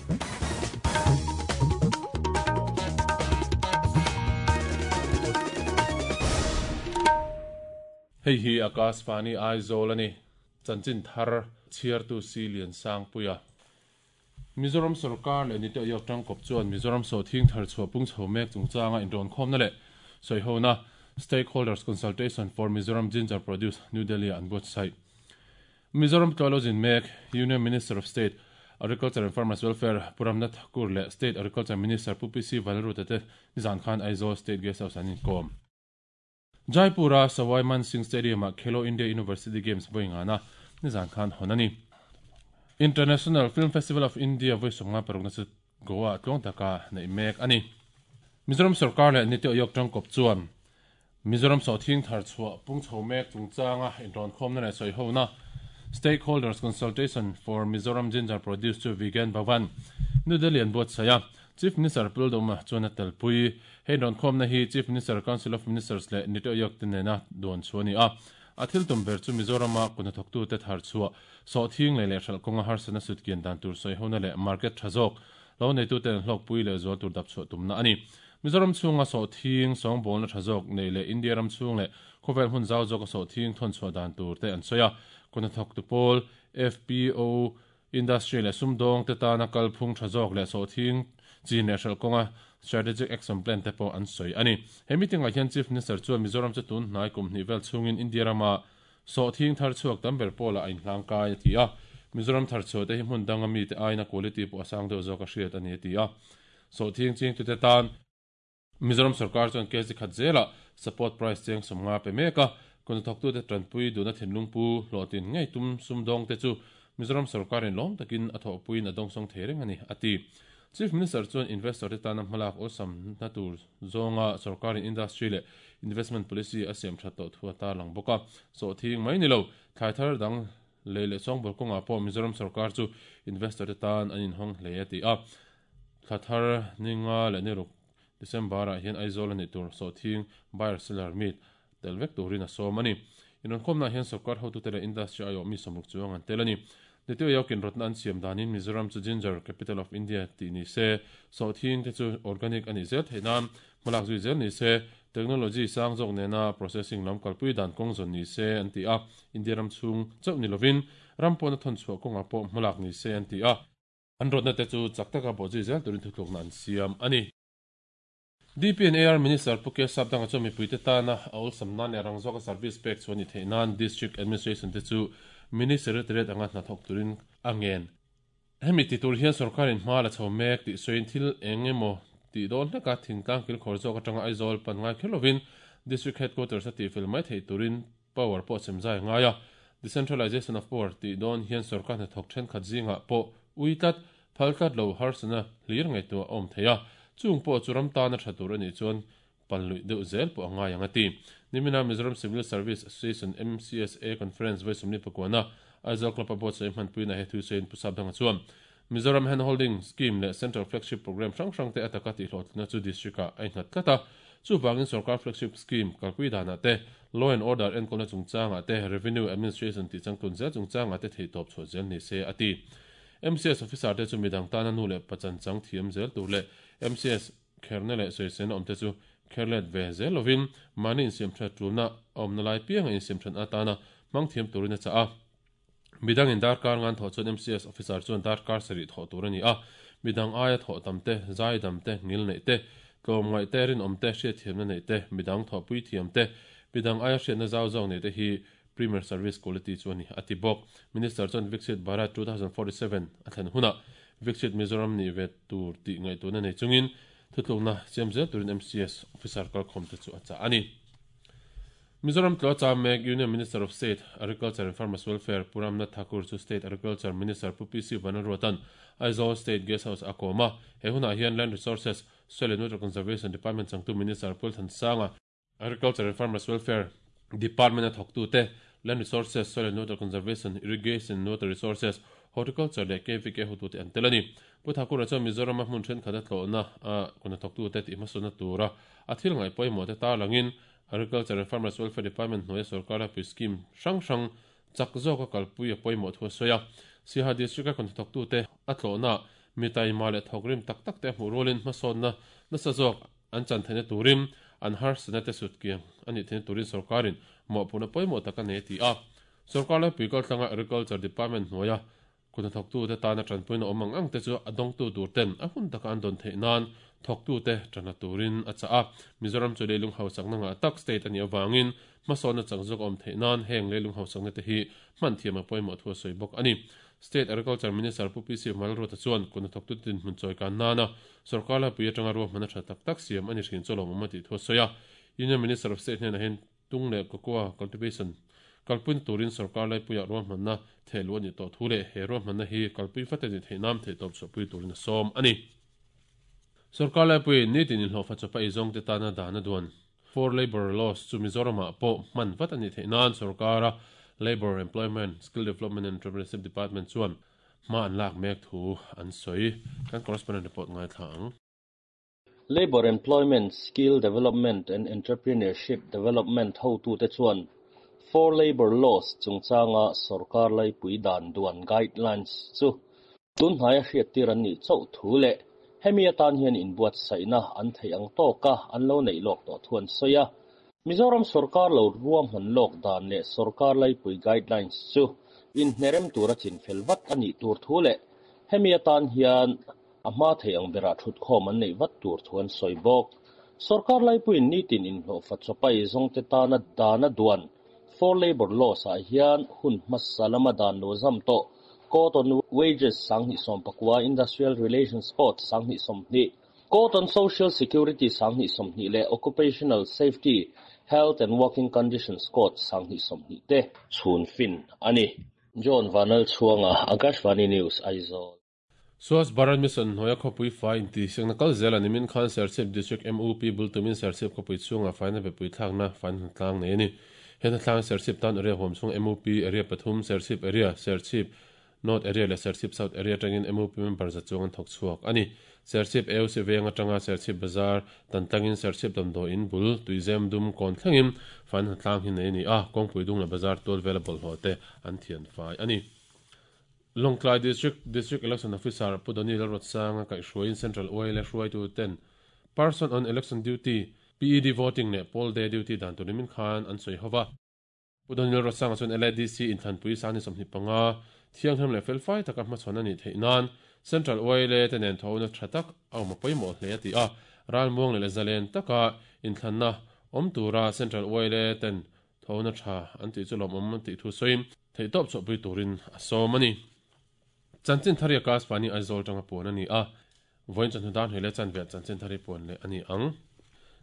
Hei hi Akashvani Aizawl a ni. Chanchin thar chhiartu Si Liansangpuia. Mizoram sorkar leh Niti Aayog tangkawp chuan Mizoram sawhthing thar chhuah pung chho mek chungchanga inrawnkhawmna leh sawihona Stakeholders Consultation for Mizoram Ginger Produce, New Delhi-ah an buatsaih. Mizoram tlawh zin mek Union Minister of State, Agriculture and Farmers Welfare Pu Ramnath Thakur leh State Agriculture Minister Pu PC Vanlalruta te nizan khan Aizawl State Guest House an inkawm. Jaipur-a Sawai Man Singh Stadium-ah Khelo India University Games vawi ngana nizan khan hawn a ni. International Film Festival of India vawi 56na chu Goa-ah tluang taka neih mek a ni. Mizoram sorkar leh Niti Aayog tangkawp chuan Mizoram sawhthing thar chhuah pung chho mek chungchanga inrawnkhawmna leh sawihona Stakeholders Consultation for Mizoram Ginger Produce chu Vigyan Bhavan, New Delhi an buatsaih a. Chief Minister Pu Lalduhma chuan a telpui. Hei inrawnkhawmna hi Chief Minister, Council of Ministers leh Niti Aayog te nena duan chhuah a ni a. A thil tum ber chu Mizorama kut hnathawktute thar chhuah, sawhthing leh lehhralh kawnga harsatna sutkian dan tur sawihona leh market tha zawk lo neituten an hlawkpui leh zual tur dap chhuah tumna a ni. Mizoram chhunga sawhthing sawngbawlna tha zawk neih leh India ram chhung leh khawvel hmun zau zawka sawhthing thawn chhuah dan tur te an sawi a. Kut hnathawktu pawl, FPO, Industry leh sumdawng te tana kalphung tha zawk leh sawhthing chin leh hralh kawnga Strategic Action Plan te pawh an sawi a ni. He meeting ah hian Chief Minister chuan Mizoram chu tun hnai kum hnih vel chhungin India rama sawhthing thar chhuak tam ber pawlah a inhlangkai a ti a. Mizoram thar chhuah te hi hmun danga mite aiin a quality pawh a sang deuh zawk a hriat a ni a ti a. Sawhthing chingtute tan Mizoram sorkar chuan kg khat zelah support price cheng 50 pe mek a, kawngthawktute tanpui duhna thinlung pu hlawhtlin ngei tum sumdawngte chu Mizoram sorkarin lawm takin a thawhpuiin a dawngsawng thei reng a ni, a ti. Chief Minister chuan investor te tana hmalak awlsamna tur zawnga sorkarin industry leh investment policy a siam that tawh thu a tarlang bawk a, sawhthing mai ni lo, thlai thar dang lei leh sawngbawl kawngah pawh Mizoram sorkar chu investor te tan an inhawng hle a ti a. Thla thar ni nga leh ni ruk December ah hian Aizawl a nih tur sawhthing buyer seller meet tel vek turin a sawm a ni. Inrawnkhawmna ah hian sorkar hotute leh industry aiawh mi 60 chuang an tel a ni. Niti Ayokin rawtna an siam danin Mizoram chu Ginger Capital of India tih ni se, sawhthing te chu organic a nih zel theih nan hmalak zui zel ni se, technology sang zawk nena processing lam kalpui dan kawng zawn ni se an ti a, India ram chhung chauh ni lovin ram pawna thawn chhuah kawngah pawh hmalak ni se an ti a. An rawtna te chu chak taka bawhzui zel turin thutlukna an siam a ni. DPNAR Minister Pu K Sapdanga chuan mipuite tana a awlsam nan leh rang zawka service pek chhuah ni theih nan District Administration te chu Mini Secretariat anga hna thawk turin a ngen. Hemi ti tur hian sorkarin hma la chho mek tih sawiin thil eng emaw tih dawn hleka thingtlang kilkhawr zawk atanga Aizawl pan ngai kher lovin District Headquarters a tihfel mai theih turin Power pawh sem zai a ngai a, Decentralization of Power tih dawn hian sorkar hnathawk thenkhat zingah pawh ui tlat, phal tlat lo harsatna hlir ngaihtuah a awm thei a, chung pawh chu ram tana tha tur a nih chuan pal luih deuh zel pawh a ngai ang a ti. Nimina Mizoram Civil Service Association, MCSA, Conference vawi 44-na Aizawl Club-a buatsaih hmanpuina he thu sawiin Pu Sapdanga chuan Mizoram Handholding Scheme leh Central Flagship Programme hrang hrangte a taka tihhlawhtlinna chu District-ah a innghat tlat a. Chuvangin Sorkar Flagship Scheme kalpui danah te, Law and Order enkawlna chungchangah te, Revenue Administration tih changtlun zel chungchangah te theihtawp chhuah zel ni se, a ti. MCS Officer te chu midang tana nu leh pa chanchang thiam zel tur leh MCS kherna leh sawiselna awmte chu kher let ve zel lovin mahni insiamthat tulna a awmna lai pianga insiamthat atana hmang thiam turin a chah a. Midangin darkar ngan thawh chuan MCS officer chuan darkar sarih thawh tur a ni a, midang aia thawh tam te, zai dam te, ngil neih te, tlawmngaih te, rinawm te, hriatthiamna neih te, midang thawhpui thiam te, midang aia hriatna zau zawk neih te hi Premier Service Quality chu a ni, a ti bawk. Minister chuan Viksit Bharat 2047 a thlen hunah Viksit Mizoram nih ve tur tih ngaihtuahna nei chungin thutlukna siam zel turin MCS officer kalkhawm te chu a chah a ni. Mizoram tlawh cham mek Union Minister of State, Agriculture and Farmers Welfare Pu Ramnath Thakur chu State Agriculture Minister Pu PC Vanlalruata'n Aizawl State Guest House a kawm a. He hunah hian Land Resources, Soil and Water Conservation Department changtu Minister Pu Thansanga, Agriculture and Farmers Welfare Department a thawktute, Land Resources, Soil and Water Conservation, Irrigation and Water Resources, Horticulture leh KVK hotute an tel a ni. Pu Thakura chuan Mizorama hmun thenkhat a tlawhna a kuna thawktute tihhmasawnna tura a thil ngaih pawimawh te tarlangin Agriculture and Farmers Welfare Department hnuaia sorkar laipui scheme hrang hrang chak zawka kalpui a pawimawh thu a sawi a. Siaha District-a khawnthawktute a tlawhnaah Mi taima leh thawkrim tak tak te a hmuh rualin hmasawnna nasa zawk an chan theihna turin an harsatna te sut kiang a nih theihna turin sawrkarin mawhphurhna pawimawh tak a nei a ti a. Sawrkar laipui kaltlanga Agriculture Department hnuaia kut hnathawktute tana tanpuina awm ang ang te chu a dawngtu tur ten a hun taka an dawn theih nan thawktute tanla turin a chah a. Mizoram chu leilung hausakna ngah tak state a nih avangin hmasawnna chak zawk a awm theih nan heng leilung hausakna te hi hman thiam a pawimawh thu a sawi bawk a ni. State Agriculture Minister Pu PC Malruata chuan kut hnathawktute dinhmun chawikan nana sawrkar laipui atanga ruahmanna tha tak tak siam a ni hrin chu lawmawm a tih thu a sawi a. Union Minister of State hnenah hian Tung leh Cocoa Cultivation kalpui turin sorkar laipuiah ruahmanna theh luh a nih tawh thu leh he ruahmanna hi kalpui vat a nih theih nan theihtawp chhuahpui turin a sawm a ni. Sorkar laipuiin nitin inhlawhfa chawpa eizawngte tana dan a duan Four Labour Laws chu Mizoramah pawh hman vat a nih theih nan sorkara Labour, Employment, Skill Development and Entrepreneurship Department chuan hma an lak mek thu an sawi. Kan correspondent report ngaithla ang. Labour Employment, Skill Development and Entrepreneurship Development hotute chuan Four Labour Laws chungchanga sawrkar laipui dan duan guidelines chu tunhnaia hriattir an nih chauh thu leh hemi atan hian inbuatsaihna an theih ang tawka an lo neih lawk tawh thu an sawi a. Mizoram sawrkar lo ruahman lawk dan leh sawrkar laipui guidelines chu inhnerem tura chinfel vat a nih tur thu leh hemi atan hian A hma thei ang berah thutkhawm an neih vat tur thu an sawi bawk. Sorkar laipuiin nitin inhlawhfa chawpa eizawngte tana dan a duan Four Labour Laws ah hian hun hmasa lama dan lo zam tawh Code on Wages 2019, Industrial Relations Code 2020, Code on Social Security 2020 leh Occupational Safety, Health and Working Conditions Code 2020 te chhun fin a ni. John Vanlalchhuanga, Akashvani News, Aizawl. Swachh Bharat Mission hnuaia khawpui fai intihsiakna kal zel a nimin khan Serchhip District MUP bul tumin Serchhip khawpui chhungah faina bepui thlakna faina hnatlang nei a ni. He hnatlang Serchhip tan area huam chhung MUP Area pathum, Serchhip Area, Serchhip North Area leh Serchhip South Area atangin MUP member za chuang an thawk chhuak a ni. Serchhip AOC veng atanga Serchhip Bazar tan tlangin Serchhip damdawi in bul Tuizem dum kawn thlengin faina hnatlang hi nei a ni a, kawngpui dung leh bazar tual vela bawlhhlawh te an thian fai a ni. Lawngtlai District District Election Officer Pu Doni Lalruatsanga kaihhruaiin Central YLA hruaitu ten Person on Election Duty, PED Voting leh Poll Day Duty dan tur nimin khan an sawi ho va. Pu Doni Lalruatsanga chuan LADC inthlanpui 2025 thianghlim leh felfai taka hmachhawn a nih theih nan Central YLA te nen thawhna tha tak a awm a pawimawh hle a ti a. Ralmuang leh zalen taka inthlanna awm tura Central YLA ten Thawhna tha an tih chu lawmawm an tih thu sawiin theihtawp chhuahpui turin a sawm a ni. Chanchin thar hi Akashvani Aizawl tanga puan a ni a, vawiin chawhnu dar hnih leh chanve ah chanchin thar hi puan leh a ni ang.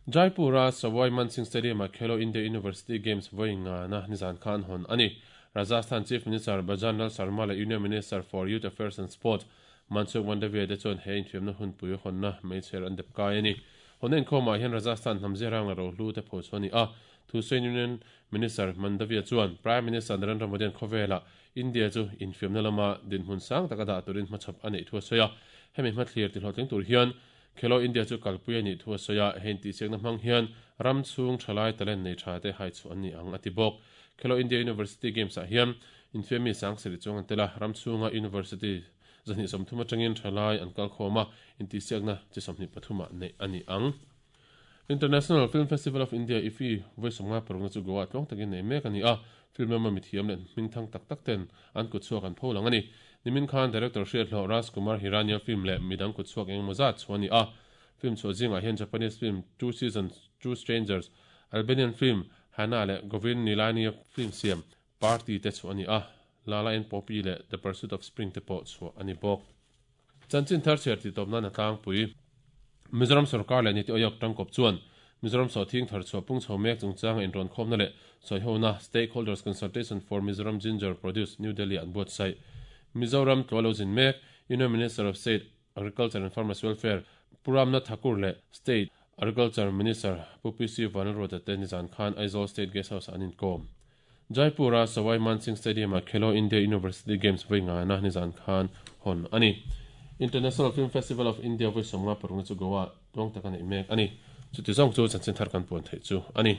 Jaipur-a Sawai Man Singh Stadium-ah Khelo India University Games vawi ngana nizan kha an hawn a ni. Rajasthan Chief Minister Bhajan Lal Sharma leh Union Minister for Youth Affairs and Sports Mansukh Mandaviya te chuan he infiamna hunpui hawnna meichher an dep kai a ni. Hawnna inkhawmah hian Rajasthan hnam ziarang leh rohlu te phochhuah a ni a, Thusain Union Minister Mandaviya chuan Prime Minister Narendra Modi-a'n khawvelah India chu infiamna lama dinhmun sang taka dah turin hmachhawp a neih thu a sawi a. Hemi hmathlir tihlawhtling tur hian Khelo India chu kalpui a nih thu a sawi a, he intihsiakna hmang hian ram chhung thalai talent nei tha te haichhuah an ni ang a ti bawk. Khelo India University Games-ah hian infiammi sangsarih chuang an tel a, ram chhunga university 230 atangin thalai an kalkhawm a, intihsiakna chi 23 ah neih a ni ang. International Film Festival of India, IFFI, vawi sawmnga parukna chu Goa tluang takin nei mek a ni a, film lama mithiam leh hmingthang tak tak ten an kutchhuak an pho lang a ni. Nimin khan director hriathlawh Raj Kumar Hirani-a film leh midang kutchhuak eng emaw zat chhuah a ni a. Film chhuah zingah hian Japanese film Two Seasons, Two Strangers, Albanian film Hana leh Govind Nihlani-a film siam Party te chhuah a ni a, Lala and Poppy leh The Pursuit of Spring te pawh chhuah a ni bawk. Chanchin thar chhiar tih tawp nan a tlangpui. Mizoram sorkar leh Niti Aayog tangkawp chuan Mizoram sawhthing thar chhuah pung chho mek chungchanga inrawn khawmna leh sawihona Stakeholders Consultation for Mizoram Ginger Produce, New Delhi an buatsaih. Mizoram tlua lo zin mek Union Minister of State, Agriculture and Farmers Welfare, Pu Ramnath Thakur leh State Agriculture Minister Pu PC Vanlalruata te nizan khan Aizawl State Guest House-ah an inkawm. Jaipur-a Sawai Man Singh Stadium-ah Khelo India University Games vawi ngaina nizan khan hawn a ni. International Film Festival of India vawi 55 na chu Goa-ah tuang taka neih mek a ni. Chuti zawng chu chanchin thar kan puan theih chu a ni.